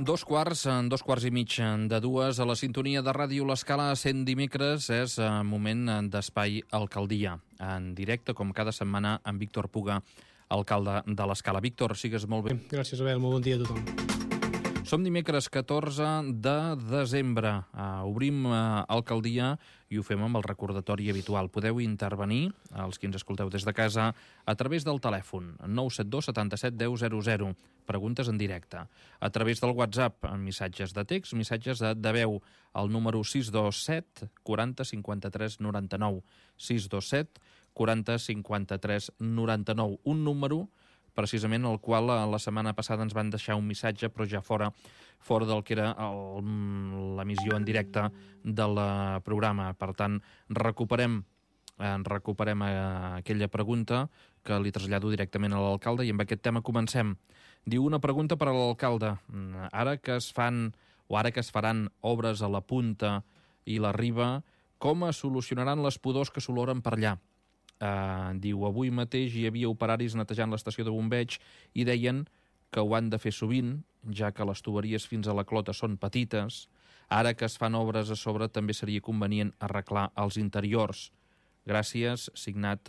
Dos quarts i mig de dues, a la sintonia de Ràdio L'Escala, 100 dimecres, és moment d'Espai Alcaldia, en directe, com cada setmana, amb Víctor Puga, alcalde de l'Escala. Víctor, sigues molt bé. Gràcies, Abel. Molt bon dia a tothom. Som dimecres 14 de desembre. Obrim Alcaldia i ho fem amb el recordatori habitual. Podeu intervenir, els que ens escolteu des de casa, a través del telèfon 972 77 10 00. Preguntes en directe. A través del WhatsApp, missatges de text, missatges de veu, al número 627 40 53 99. 627 40 53 99. Un número precisament el qual la setmana passada ens van deixar un missatge, però ja fora del que era l'emissió en directe del programa. Per tant, recuperem aquella pregunta que li trasllado directament a l'alcalde i amb aquest tema comencem. Diu una pregunta per a l'alcalde. Ara que es faran obres a la Punta i la Riba, com es solucionaran les pudors que s'oloren per allà? Diu, avui mateix hi havia operaris netejant l'estació de bombeig i deien que ho han de fer sovint, ja que les tuberies fins a la clota són petites. Ara que es fan obres a sobre també seria convenient arreglar els interiors. Gràcies, signat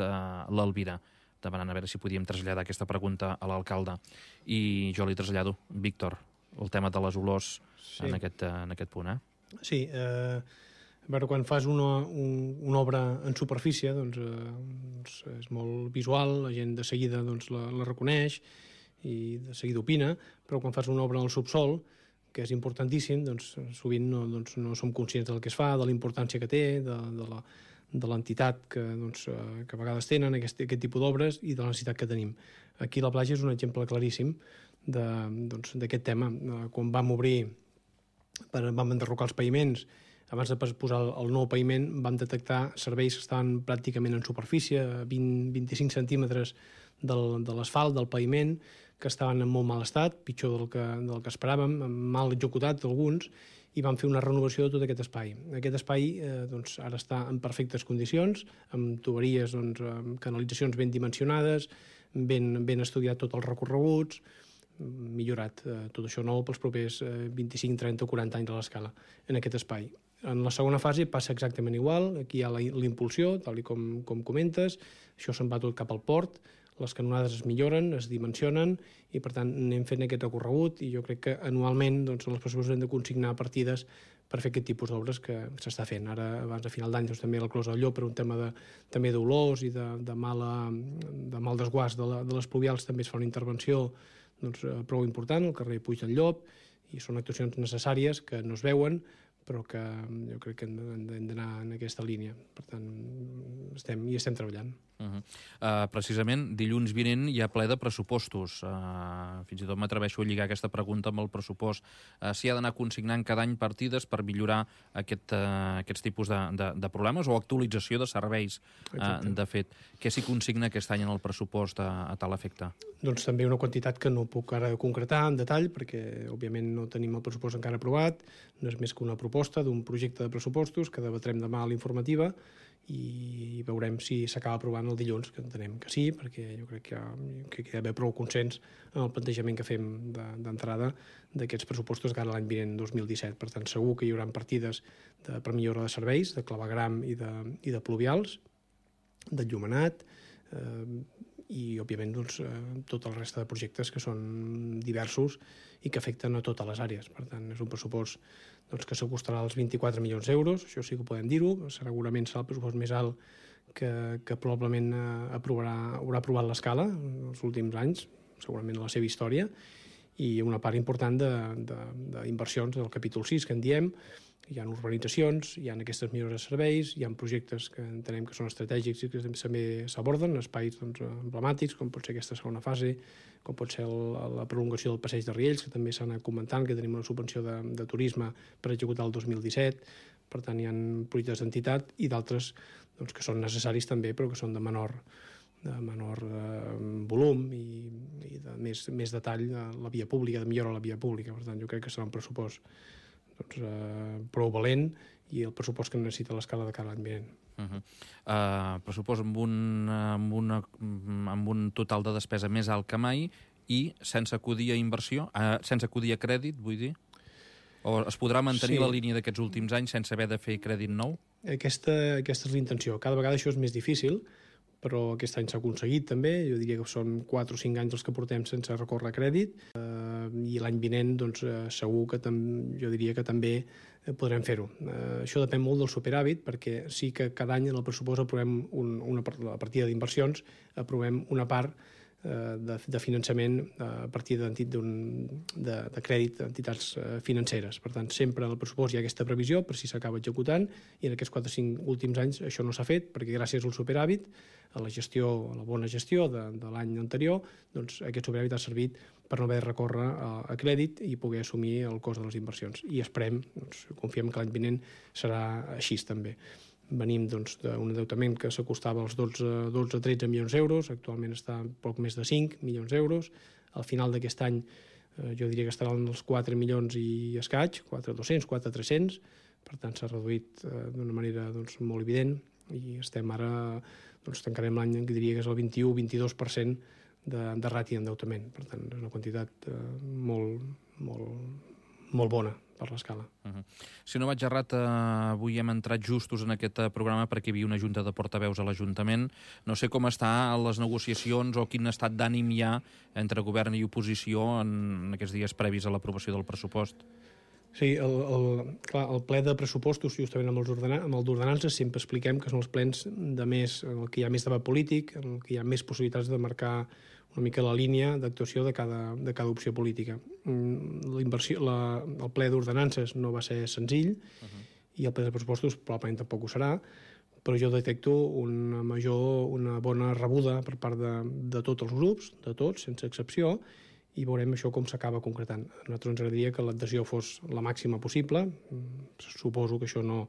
l'Elvira, demanant a veure si podíem traslladar aquesta pregunta a l'alcalde. I jo li trasllado, Víctor, el tema de les olors en aquest punt. Sí, però quan fas una obra en superfície, doncs és molt visual, la gent de seguida la reconeix i de seguida opina, però quan fas una obra en el subsol, que és importantíssim, doncs sovint no som conscients del que es fa, de la importància que té, de l'entitat que a vegades tenen aquest tipus d'obres i de la necessitat que tenim. Aquí la platja és un exemple claríssim d'aquest tema. Quan vam enderrocar els paviments, abans de posar el nou paviment, vam detectar serveis que estaven pràcticament en superfície, 20-25 centímetres de l'asfalt, del paviment, que estaven en molt mal estat, pitjor del que esperàvem, mal executat alguns, i vam fer una renovació de tot aquest espai. Aquest espai ara està en perfectes condicions, amb tuberies, amb canalitzacions ben dimensionades, ben estudiat tots els recorreguts, millorat tot això nou pels propers 25, 30 o 40 anys de l'Escala en aquest espai. En la segona fase passa exactament igual, aquí hi ha la impulsió, tal com comentes, això se'n va tot cap al port, les canonades es milloren, es dimensionen i per tant anem fent aquest recorregut i jo crec que anualment els pressupostos hem de consignar partides per fer aquest tipus d'obres que s'està fent. Ara, abans de final d'any, també la Closa del Llop, per un tema també d'olors i de mal desguàs de les pluvials, també es fa una intervenció prou important al carrer Puig del Llop i són actuacions necessàries que no es veuen però que jo crec que hem d'anar en aquesta línia. Per tant, estem treballant. Precisament, dilluns vinent hi ha ple de pressupostos. Fins i tot m'atreveixo a lligar aquesta pregunta amb el pressupost. S'hi ha d'anar consignant cada any partides per millorar aquests tipus de problemes o actualització de serveis. De fet, què s'hi consigna aquest any en el pressupost a tal efecte? Doncs també una quantitat que no puc ara concretar en detall perquè, òbviament, no tenim el pressupost encara aprovat, no és més que una proposta d'un projecte de pressupostos que debatrem demà a l'informativa i veurem si s'acaba aprovant el dilluns, que entenem que sí, perquè jo crec que hi ha d'haver prou consens en el plantejament que fem d'entrada d'aquests pressupostos cara a l'any vinent, 2017. Per tant, segur que hi haurà partides per millora de serveis, de clavegram i de pluvials, d'enllumenat, i, òbviament, tot el reste de projectes que són diversos i que afecten a totes les àrees. Per tant, és un pressupost que s'acostarà als 24 milions d'euros, això sí que ho podem dir-ho, segurament serà el pressupost més alt que probablement haurà aprovat l'Escala en els últims anys, segurament en la seva història, i una part important d'inversions del capítol 6, que en diem. Hi ha urbanitzacions, hi ha aquestes millores de serveis, hi ha projectes que entenem que són estratègics i que també s'aborden, espais emblemàtics, com pot ser aquesta segona fase, com pot ser la prolongació del passeig de Riells, que també s'ha anat comentant, que tenim una subvenció de turisme per executar el 2017. Per tant, hi ha projectes d'entitat i d'altres que són necessaris també, però que són de menor volum i de més detall de la via pública, de millora a la via pública. Per tant, jo crec que serà un pressupost prou valent i el pressupost que necessita l'Escala de cada any vinent. Pressupost amb un total de despesa més alt que mai i sense acudir a inversió, sense acudir a crèdit, vull dir? O es podrà mantenir la línia d'aquests últims anys sense haver de fer crèdit nou? Aquesta és l'intenció. Cada vegada això és més difícil, però aquest any s'ha aconseguit també. Jo diria que són 4 o 5 anys els que portem sense recórrer a crèdit, i l'any vinent doncs, segur que jo diria que també podrem fer-ho. Això depèn molt del superàvit, perquè sí que cada any en el pressupost aprovem la partida d'inversions, aprovem una part de finançament a partir de crèdit d'entitats financeres. Per tant, sempre en el pressupost hi ha aquesta previsió per si s'acaba executant, i en aquests 4 o 5 últims anys això no s'ha fet, perquè gràcies al superàvit, a la bona gestió de l'any anterior, doncs aquest superàvit ha servit per no haver de recórrer a crèdit i poder assumir el cost de les inversions. I esperem, confiem que l'any vinent serà així també. Venim d'un endeutament que s'acostava als 12-13 milions d'euros, actualment està poc més de 5 milions d'euros. Al final d'aquest any jo diria que estaran els 4 milions i escaig, 4.200, 4.300, per tant s'ha reduït d'una manera molt evident, i estem ara, tancarem l'any, que diria que és el 21-22% de ràtio d'endeutament. Per tant, és una quantitat molt bona per l'escala. Si no vaig errat, avui hem entrat justos en aquest programa perquè hi havia una junta de portaveus a l'Ajuntament. No sé com està les negociacions o quin estat d'ànim hi ha entre govern i oposició en aquests dies previs a l'aprovació del pressupost. Sí, el ple de pressupostos, justament amb el d'ordenances, sempre expliquem que són els plens en què hi ha més debat polític, en què hi ha més possibilitats de marcar una mica la línia d'actuació de cada opció política. El ple d'ordenances no va ser senzill, i el ple de pressupostos probablement tampoc ho serà, però jo detecto una bona rebuda per part de tots els grups, de tots, sense excepció, i veurem això com s'acaba concretant. A nosaltres ens agradaria que l'adhesió fos la màxima possible. Suposo que això no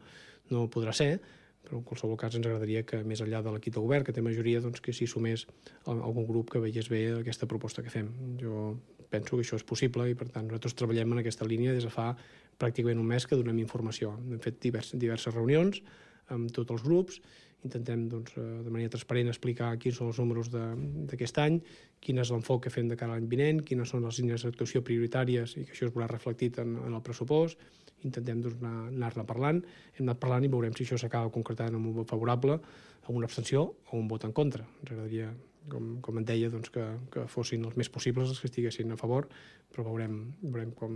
podrà ser, però en qualsevol cas ens agradaria que, més enllà de l'equip de govern, que té majoria, doncs que s'hi sumés algun grup que veiés bé aquesta proposta que fem. Jo penso que això és possible, i per tant nosaltres treballem en aquesta línia des de fa pràcticament un mes que donem informació. Hem fet diverses reunions amb tots els grups, intentem de manera transparent explicar quins són els números d'aquest any, quin és l'enfoc que fem de cara a l'any vinent, quines són les línies d'actuació prioritàries i que això es veurà reflectit en el pressupost. Intentem anar-ne parlant. Hem anat parlant i veurem si això s'acaba concretant amb un vot favorable, amb una abstenció o un vot en contra. Ens agradaria, com en deia, que fossin els més possibles els que estiguessin a favor, però veurem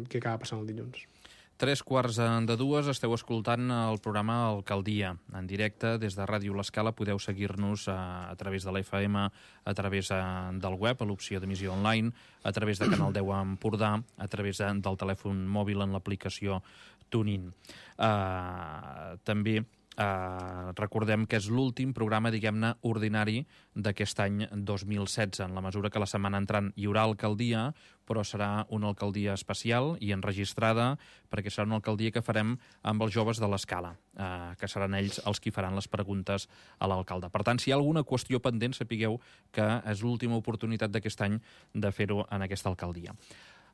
què acaba passant el dilluns. 3:15, esteu escoltant el programa Alcaldia, en directe des de Ràdio L'Escala. Podeu seguir-nos a través de l'FM, a través del web, a l'opció d'emissió online, a través de Canal 10 a Empordà, a través del telèfon mòbil en l'aplicació TuneIn. També recordem que és l'últim programa, diguem-ne, ordinari d'aquest any 2016, en la mesura que la setmana entrant hi haurà alcaldia, però serà una alcaldia especial i enregistrada, perquè serà una alcaldia que farem amb els joves de l'Escala, que seran ells els qui faran les preguntes a l'alcalde. Per tant, si hi ha alguna qüestió pendent, sapigueu que és l'última oportunitat d'aquest any de fer-ho en aquesta alcaldia.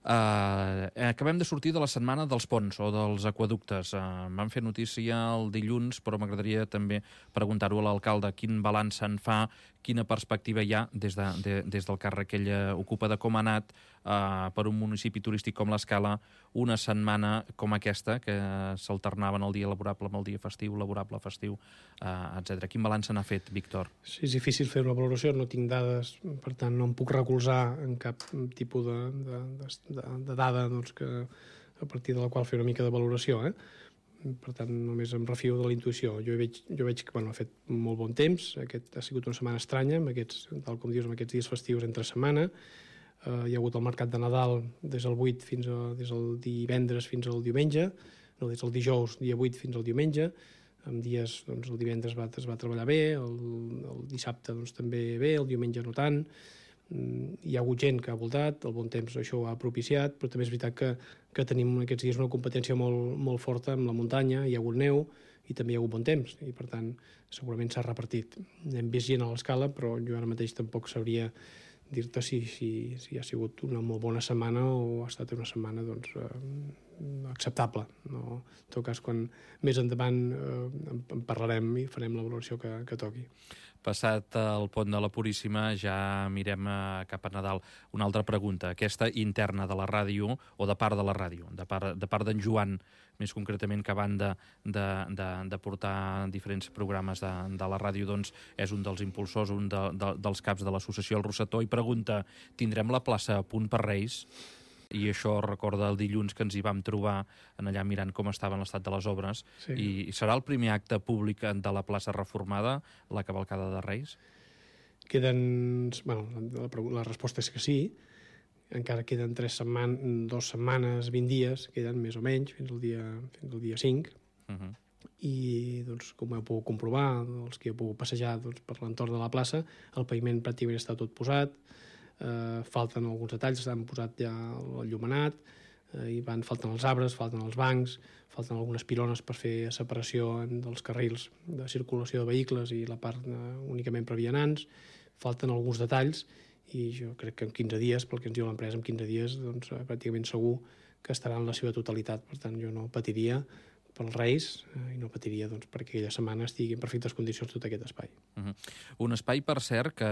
Acabem de sortir de la setmana dels ponts o dels aqüeductes. Vam fer notícia el dilluns, però m'agradaria també preguntar-ho a l'alcalde quin balanç se'n fa, quina perspectiva hi ha des del càrrec que ell ocupa, de com ha anat per un municipi turístic com l'Escala una setmana com aquesta, que s'alternaven el dia laborable amb el dia festiu, laborable festiu, etc. Quin balanç se n'ha fet, Víctor? Sí, és difícil fer una valoració, no tinc dades, per tant no em puc recolzar en cap tipus de dada a partir de la qual fer una mica de valoració. Per tant, només em refio de la intuïció. Jo veig que ha fet molt bon temps. Aquest ha sigut una setmana estranya, tal com dius, amb aquests dies festius entre setmana. Hi ha hagut el mercat de Nadal des del divendres fins al diumenge, no, des del dijous, dia 8, fins al diumenge. En dies, el divendres es va treballar bé, el dissabte també bé, el diumenge no tant. Hi ha hagut gent que ha voltat, el bon temps això ho ha propiciat, però també és veritat que tenim aquests dies una competència molt forta amb la muntanya, hi ha hagut neu i també hi ha hagut bon temps, i per tant segurament s'ha repartit. Hem vist gent a l'Escala, però jo ara mateix tampoc sabria dir-te si ha sigut una molt bona setmana o ha estat una setmana acceptable. No? En tot cas, quan més endavant en parlarem i farem la valoració que toqui. Passat el pont de la Puríssima, ja mirem cap a Nadal. Una altra pregunta, aquesta interna de la ràdio, o de part de la ràdio, de part d'en Joan, més concretament, que a banda de portar diferents programes de la ràdio, doncs és un dels impulsors, un dels caps de l'associació El Rosetó, i pregunta, tindrem la plaça a punt per Reis? I això recorda el dilluns que ens hi vam trobar en allà mirant com estava l'estat de les obres. Sí. I serà el primer acte públic de la plaça reformada, la cavalcada de Reis? La resposta és que sí. Encara queden 2 setmanes, 20 dies, queden més o menys, fins al dia 5. I, doncs, com heu pogut comprovar, els que heu pogut passejar per l'entorn de la plaça, el paviment pràcticament està tot posat, falten alguns detalls, s'han posat ja el llumenat, falten els arbres, falten els bancs, falten algunes pilones per fer separació dels carrils de circulació de vehicles i la part únicament per vianants, falten alguns detalls, i jo crec que en 15 dies, pel que ens diu l'empresa, en 15 dies doncs, pràcticament segur que estarà en la seva totalitat. Per tant, jo no patiria pels Reis i no patiria perquè aquella setmana estigui en perfectes condicions tot aquest espai. Un espai, per cert, que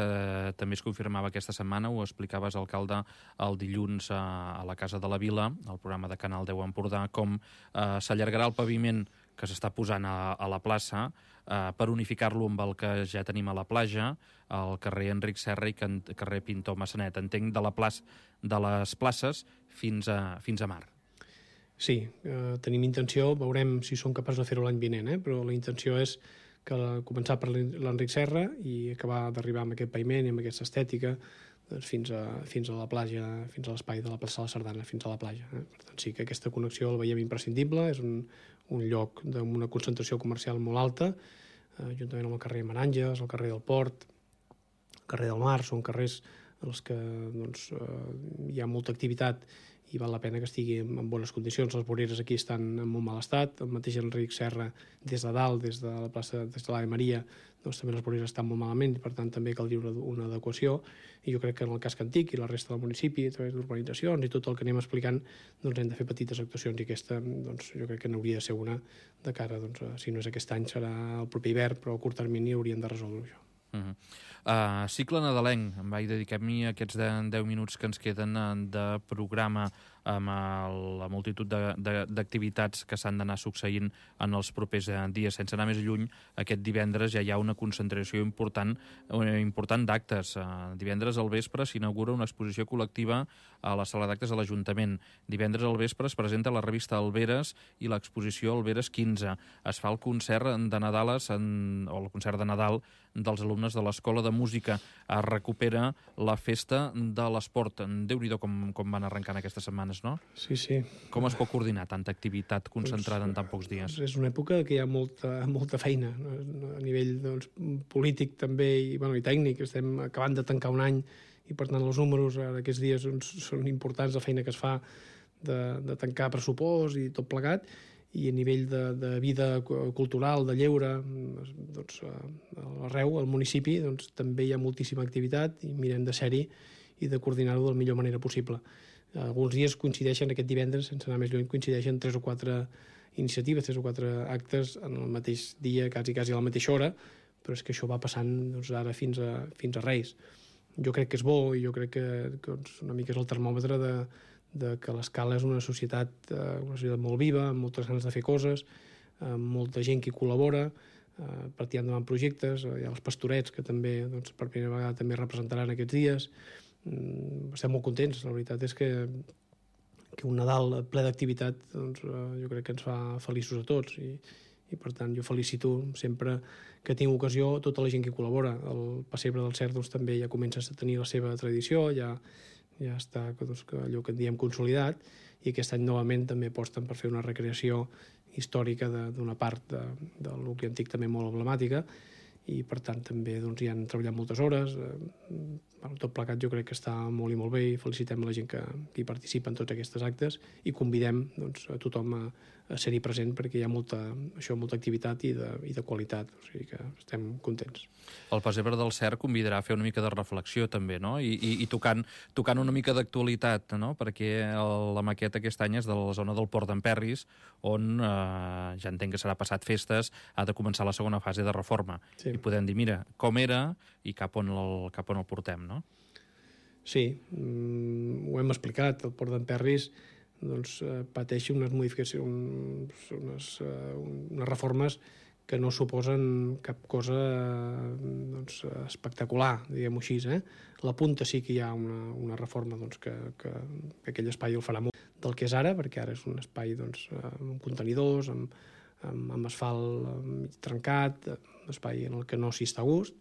també es confirmava aquesta setmana, ho explicaves, alcalde, el dilluns a la Casa de la Vila, al programa de Canal 10 Empordà, com s'allargarà el paviment que s'està posant a la plaça per unificar-lo amb el que ja tenim a la platja, al carrer Enric Serra i carrer Pintor Massanet. Entenc de les places fins a mar. Sí, tenim intenció, veurem si som capaços de fer-ho l'any vinent, però la intenció és començar per l'Enric Serra i acabar d'arribar amb aquest paviment i amb aquesta estètica fins a la platja, fins a l'espai de la plaça de la Sardana, fins a la platja. Per tant, sí que aquesta connexió la veiem imprescindible, és un lloc amb una concentració comercial molt alta, juntament amb el carrer Maranges, el carrer del Port, el carrer del Mar, són carrers en els que hi ha molta activitat i val la pena que estigui en bones condicions. Les voreres aquí estan en molt mal estat, el mateix Enric Serra des de dalt, des de la plaça de l'Ave Maria, doncs també les voreres estan molt malament i per tant també caldria una adequació, i jo crec que en el casc antic i la resta del municipi, a través d'urbanitzacions i tot el que anem explicant, doncs hem de fer petites actuacions, i aquesta jo crec que n'hauria de ser una de cara, si no és aquest any serà el proper hivern, però a curt termini hauríem de resoldre això. Cicle nadalenc, em vaig dedicar-m'hi aquests 10 minuts que ens queden de programa amb la multitud d'activitats que s'han d'anar succeint en els propers dies. Sense anar més lluny, aquest divendres ja hi ha una concentració important d'actes. Divendres al vespre s'inaugura una exposició col·lectiva a la sala d'actes de l'Ajuntament. Divendres al vespre es presenta la revista Alberes i l'exposició Alberes 15. Es fa el concert de Nadal, o el concert de Nadal dels alumnes de l'Escola de Música. Es recupera la festa de l'esport. Déu-n'hi-do com van arrencant aquestes setmanes, no? Sí, sí. Com es pot coordinar tanta activitat concentrada en tan pocs dies? És una època que hi ha molta feina a nivell polític també i tècnic. Estem acabant de tancar un any i per tant els números d'aquests dies són importants, la feina que es fa de tancar pressupost i tot plegat, i a nivell de vida cultural, de lleure, arreu, al municipi, també hi ha moltíssima activitat i mirem de ser-hi i de coordinar-ho de la millor manera possible. Alguns dies coincideixen, aquest divendres, sense anar més lluny, coincideixen 3 o 4 iniciatives, 3 o 4 actes en el mateix dia, quasi a la mateixa hora, però és que això va passant ara fins a Reis. Jo crec que és bo, i jo crec que una mica és el termòmetre de que l'Escala és una societat molt viva, amb moltes ganes de fer coses, amb molta gent que hi col·labora, per tirar endavant projectes. Hi ha els Pastorets, que també per primera vegada també representaran aquests dies. Estem molt contents. La veritat és que un Nadal ple d'activitat jo crec que ens fa feliços a tots, i per tant jo felicito sempre que tinc ocasió tota la gent que hi col·labora. El Pessebre del Cert també ja comença a tenir la seva tradició, ja està allò que en diem consolidat, i aquest any novament també aposten per fer una recreació històrica d'una part del nucli antic també molt emblemàtica, i per tant també hi han treballat moltes hores. Tot plegat jo crec que està molt i molt bé i felicitem la gent que hi participa en tots aquests actes i convidem a tothom a ser-hi present perquè hi ha molta activitat i de qualitat, o sigui que estem contents. El Pessebre del Cert convidarà a fer una mica de reflexió també, no? I tocant una mica d'actualitat, no? Perquè la maqueta aquest any és de la zona del Port d'Emperris, on ja entenc que serà passat festes, ha de començar la segona fase de reforma. Sí. I podem dir, mira, com era i cap on el portem, no? Sí, ho hem explicat. El Port d'Emperris pateix unes modificacions, unes reformes que no suposen cap cosa espectacular, diguem-ho així. La punta sí que hi ha una reforma que aquell espai el farà molt del que és ara, perquè ara és un espai amb contenidors, amb asfalt trencat, un espai en el que no s'hi està a gust,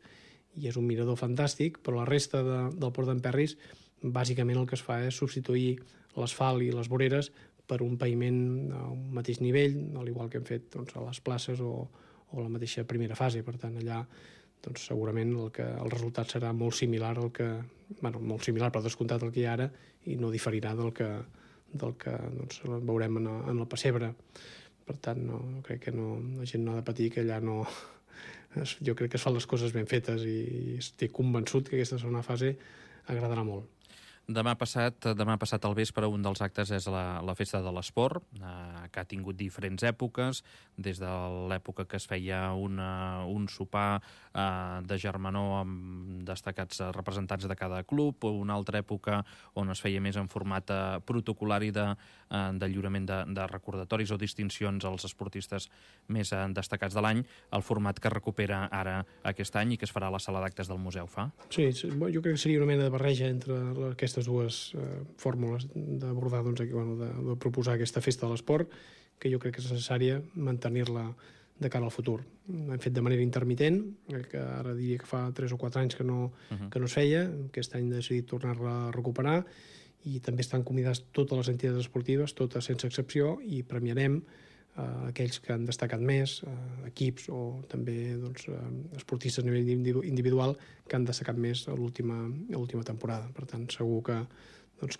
i és un mirador fantàstic, però la resta del Port d'Emperris bàsicament el que es fa és substituir l'asfalt i les voreres per un paviment al mateix nivell, al igual que hem fet a les places o la mateixa primera fase. Per tant, allà segurament el resultat serà molt similar molt similar, però descomptat el que hi ha ara, i no diferirà del que veurem en el Pessebre. Per tant, crec que la gent no ha de patir, que allà no... Jo crec que es fan les coses ben fetes i estic convençut que aquesta segona fase agradarà molt. Demà passat al vespre, un dels actes és la Festa de l'Esport, que ha tingut diferents èpoques, des de l'època que es feia un sopar de germanor amb destacats representants de cada club, o una altra època on es feia més en format protocolari de lliurament de recordatoris o distincions als esportistes més destacats de l'any, el format que recupera ara aquest any i que es farà a la sala d'actes del museu, fa? Sí, jo crec que seria una mena de barreja entre aquestes dues fórmules d'abordar, de proposar aquesta Festa de l'Esport, que jo crec que és necessària mantenir-la de cara al futur. Hem fet de manera intermitent, que ara diria que fa 3 o 4 anys que no es feia. Aquest any hem decidit tornar-la a recuperar i també estan convidats totes les entitats esportives, totes sense excepció, i premiarem aquells que han destacat més, equips o també esportistes a nivell individual que han destacat més a l'última temporada. Per tant, segur que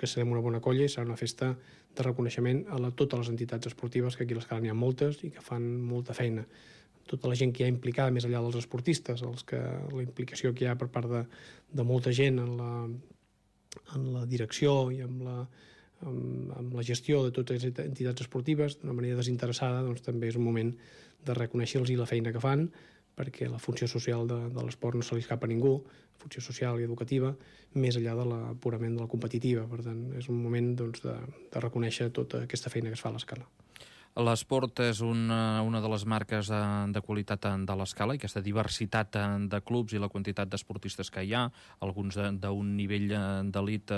serem una bona colla i serà una festa de reconeixement a totes les entitats esportives, que aquí a l'Escala n'hi ha moltes i que fan molta feina. Tota la gent que hi ha implicada, més enllà dels esportistes, la implicació que hi ha per part de molta gent en la direcció i amb la gestió de totes les entitats esportives d'una manera desinteressada, també és un moment de reconèixer-los la feina que fan, perquè la funció social de l'esport no se li escapa a ningú, funció social i educativa, més enllà purament de la competitiva. Per tant, és un moment de reconèixer tota aquesta feina que es fa a l'Escala. L'esport és una de les marques de qualitat de l'Escala, i aquesta diversitat de clubs i la quantitat d'esportistes que hi ha, alguns d'un nivell d'elit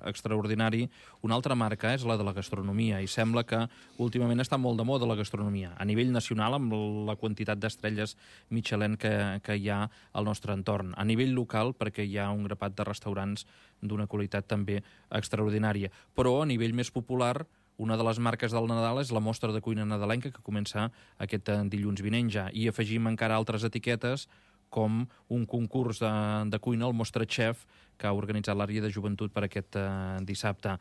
extraordinari. Una altra marca és la de la gastronomia, i sembla que últimament està molt de moda la gastronomia, a nivell nacional, amb la quantitat d'estrelles Michelin que hi ha al nostre entorn. A nivell local, perquè hi ha un grapat de restaurants d'una qualitat també extraordinària. Però a nivell més popular, una de les marques del Nadal és la mostra de cuina nadalenca, que comença aquest dilluns vinent ja, i afegim encara altres etiquetes com un concurs de cuina, el Mostra Chef, que ha organitzat l'àrea de joventut per aquest dissabte.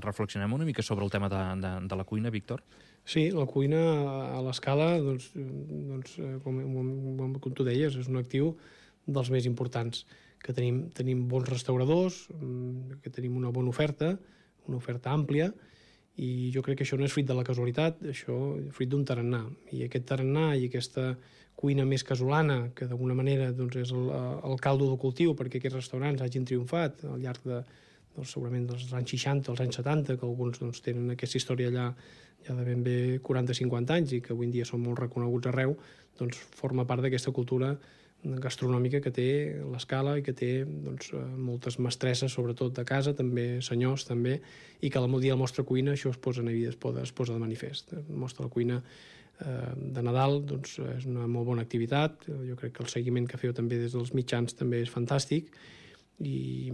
Reflexionem una mica sobre el tema de la cuina, Víctor? Sí, la cuina a l'Escala, com tu deies, és un actiu dels més importants, que tenim bons restauradors, que tenim una bona oferta àmplia, i jo crec que això no és fruit de la casualitat, això és fruit d'un tarannà. I aquest tarannà i aquesta cuina més casolana, que d'alguna manera és el caldo de cultiu perquè aquests restaurants hagin triomfat al llarg segurament dels anys 60, als anys 70, que alguns tenen aquesta història allà ja de ben bé 40-50 anys i que avui en dia són molt reconeguts arreu, forma part d'aquesta cultura gastronòmica que té l'Escala i que té moltes mestresses, sobretot de casa, també senyors, també, i que el dia de la mostra cuina això es posa de manifest. La mostra de cuina de Nadal és una molt bona activitat. Jo crec que el seguiment que feu també des dels mitjans també és fantàstic i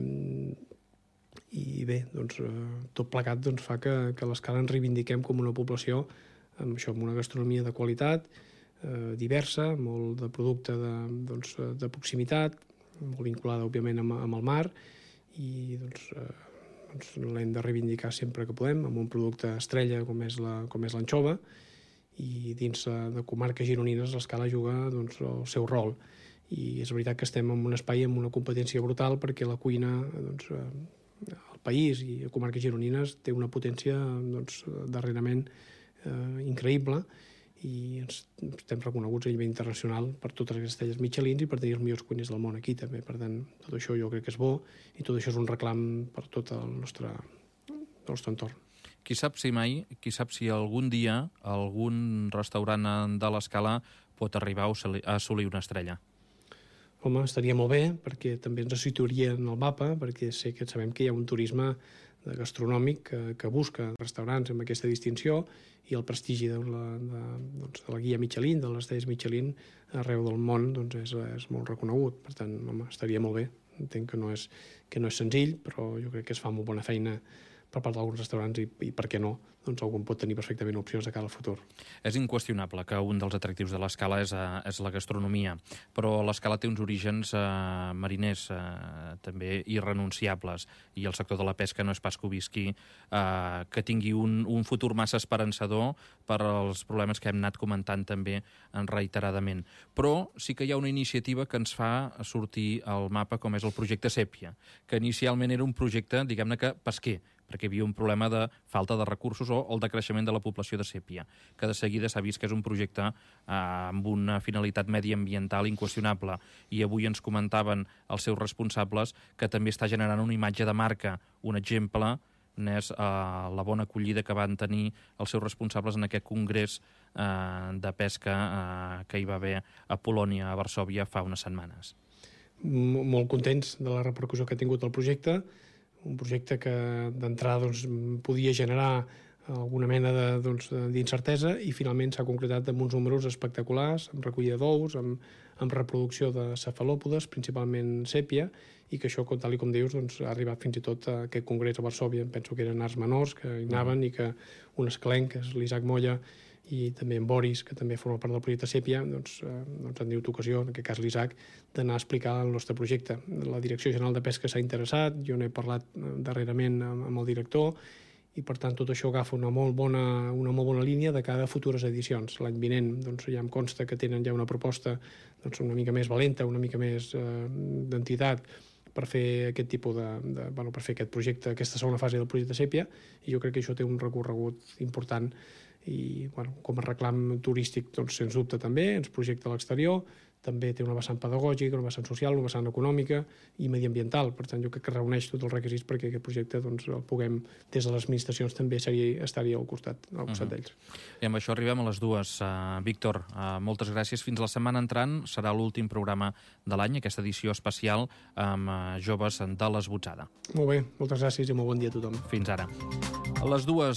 bé, tot plegat fa que l'Escala ens reivindiquem com una població amb una gastronomia de qualitat, diversa, molt de producte de proximitat, molt vinculada, òbviament, amb el mar, i l'hem de reivindicar sempre que podem, amb un producte estrella com és l'anxova, i dins de comarques gironines l'Escala juga el seu rol. I és veritat que estem en un espai amb una competència brutal perquè la cuina al país i a comarques gironines té una potència darrerament increïble, i estem reconeguts a nivell internacional per totes les estrelles Michelin i per tenir els millors cuiners del món aquí també. Per tant, tot això jo crec que és bo i tot això és un reclam per tot el nostre entorn. Qui sap si algun dia algun restaurant de l'Escala pot arribar a assolir una estrella? Home, estaria molt bé, perquè també ens situaria en el mapa, perquè sabem que hi ha un turisme gastronòmic que busca restaurants amb aquesta distinció, i el prestigi de la guia Michelin, de les estrelles Michelin, arreu del món és molt reconegut. Per tant, home, estaria molt bé. Entenc que no és senzill, però jo crec que es fa molt bona feina per part d'alguns restaurants i per què no, algun pot tenir perfectament opcions de cara al futur. És inqüestionable que un dels atractius de l'Escala és la gastronomia, però l'Escala té uns orígens mariners també irrenunciables, i el sector de la pesca no és pas que ho visqui que tingui un futur massa esperançador per als problemes que hem anat comentant també reiteradament. Però sí que hi ha una iniciativa que ens fa sortir al mapa, com és el projecte Sèpia, que inicialment era un projecte, diguem-ne que pesquer, perquè hi havia un problema de falta de recursos o el decreixement de la població de sèpia, que de seguida s'ha vist que és un projecte amb una finalitat mediambiental inqüestionable. I avui ens comentaven els seus responsables que també està generant una imatge de marca, un exemple n'és la bona acollida que van tenir els seus responsables en aquest congrés de pesca que hi va haver a Polònia, a Varsòvia, fa unes setmanes. Molt contents de la repercussió que ha tingut el projecte, un projecte que d'entrada podia generar alguna mena d'incertesa, i finalment s'ha concretat amb uns números espectaculars, amb recollida d'ous, amb reproducció de cefalòpodes, principalment sèpia, i que això, tal com dius, ha arribat fins i tot a aquest congrés a Varsòvia. Penso que eren arts menors que hi anaven, i que un esclenc, que és l'Isaac Molla, i també en Boris, que també forma part del projecte Sèpia, han tingut ocasió, en aquest cas l'Isaac, d'anar a explicar el nostre projecte. La Direcció General de Pesca s'ha interessat, jo n'he parlat darrerament amb el director, i per tant tot això agafa una molt bona línia de cada futures edicions. L'any vinent ja em consta que tenen ja una proposta una mica més valenta, una mica més d'entitat, per fer aquest tipus per fer aquest projecte, aquesta segona fase del projecte Sèpia, i jo crec que això té un recorregut important, i com a reclam turístic sens dubte també ens projecta a l'exterior, també té una vessant pedagògica, una vessant social, una vessant econòmica i mediambiental. Per tant, jo crec que reuneix tots els requisits perquè aquest projecte el puguem, des de les administracions, també estaria al costat d'ells. I amb això arribem a les dues. Víctor, moltes gràcies. Fins la setmana entrant serà l'últim programa de l'any, aquesta edició especial amb joves de l'Esbotzada. Molt bé, moltes gràcies i molt bon dia a tothom. Fins ara. A les dues